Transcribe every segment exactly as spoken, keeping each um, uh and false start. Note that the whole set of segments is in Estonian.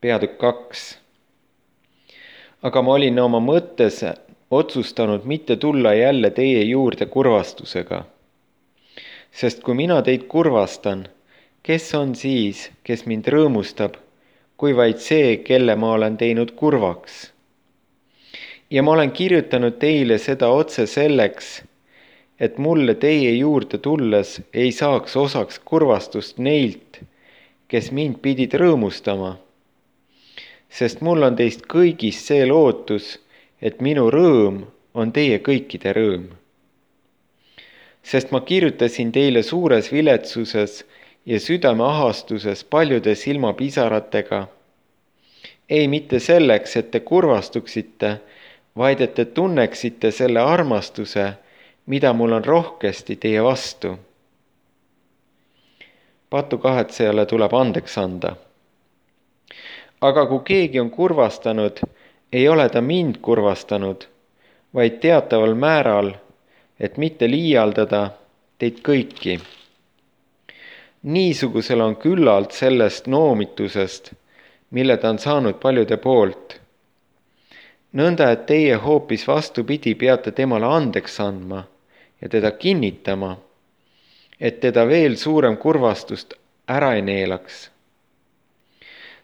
Peatükk kaks. Aga ma olin oma mõttes otsustanud mitte tulla jälle teie juurde kurvastusega. Sest kui mina teid kurvastan, kes on siis, kes mind rõõmustab, kui vaid see, kelle ma olen teinud kurvaks? Ja ma olen kirjutanud teile seda otse selleks, et mulle teie juurde tulles ei saaks osaks kurvastust neilt, kes mind pidid rõõmustama. Sest mul on teist kõigist see lootus, et minu rõõm on teie kõikide rõõm. Sest ma kirjutasin teile suures viletsuses ja südameahastuses paljude silmapisaratega, ei mitte selleks, et te kurvastuksite, vaid et te tunneksite selle armastuse, mida mul on rohkesti teie vastu. Patukahetsejale tuleb andeks anda. Aga kui keegi on kurvastanud, ei ole ta mind kurvastanud, vaid teataval määral, et mitte liialdada teid kõiki. Niisugusel on küllalt sellest noomitusest, mille ta on saanud paljude poolt. Nõnda, et teie hoopis vastupidi peate temale andeks andma ja teda kinnitama, et teda veel suurem kurvastust ära ei neelaks.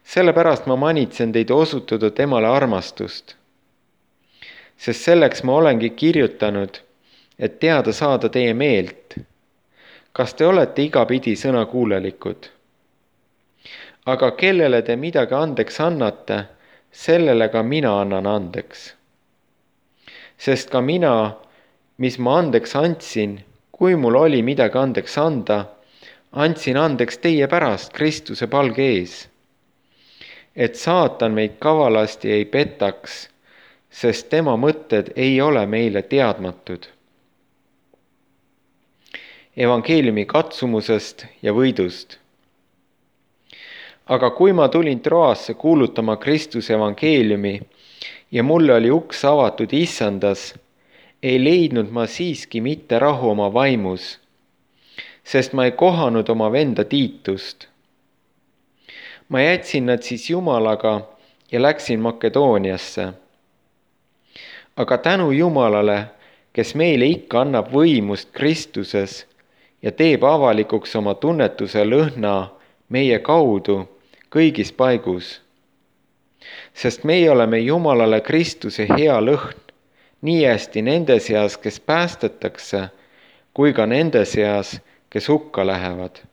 Sellepärast ma manitsen teid osutada temale armastust. Sest selleks ma olengi kirjutanud, et teada saada teie meelt. Kas te olete igapidi sõnakuulelikud? Aga kellele te midagi andeks annate, sellele ka mina annan andeks. Sest ka mina, mis ma andeks andsin, kui mul oli midagi andeks anda, andsin andeks teie pärast Kristuse palge ees. Et saatan meid kavalasti ei petaks, sest tema mõtted ei ole meile teadmatud. Evangeeliumi katsumusest ja võidust. Aga kui ma tulin Troasse kuulutama Kristuse evangeeliumi ja mulle oli uks avatud issandas, ei leidnud ma siiski mitte rahu oma vaimus, sest ma ei kohanud oma venda Tiitust. Ma jätsin nad siis Jumalaga ja läksin Makedooniasse. Aga tänu Jumalale, kes meile ikka annab võimust Kristuses ja teeb avalikuks oma tunnetuse lõhna meie kaudu kõigis paigus. Sest meie oleme Jumalale Kristuse hea lõhn, nii hästi nende seas, kes päästetakse, kui ka nende seas, kes hukka lähevad.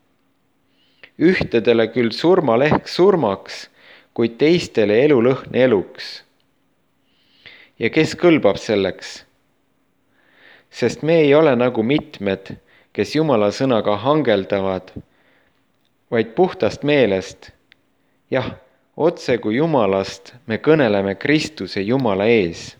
Ühtedele küll surmalehk surmaks, kuid teistele elulõhn eluks. Ja kes kõlbab selleks? Sest me ei ole nagu mitmed, kes Jumala sõnaga hangeldavad, vaid puhtast meelest. Jah, otse kui Jumalast me kõneleme Kristuse Jumala ees.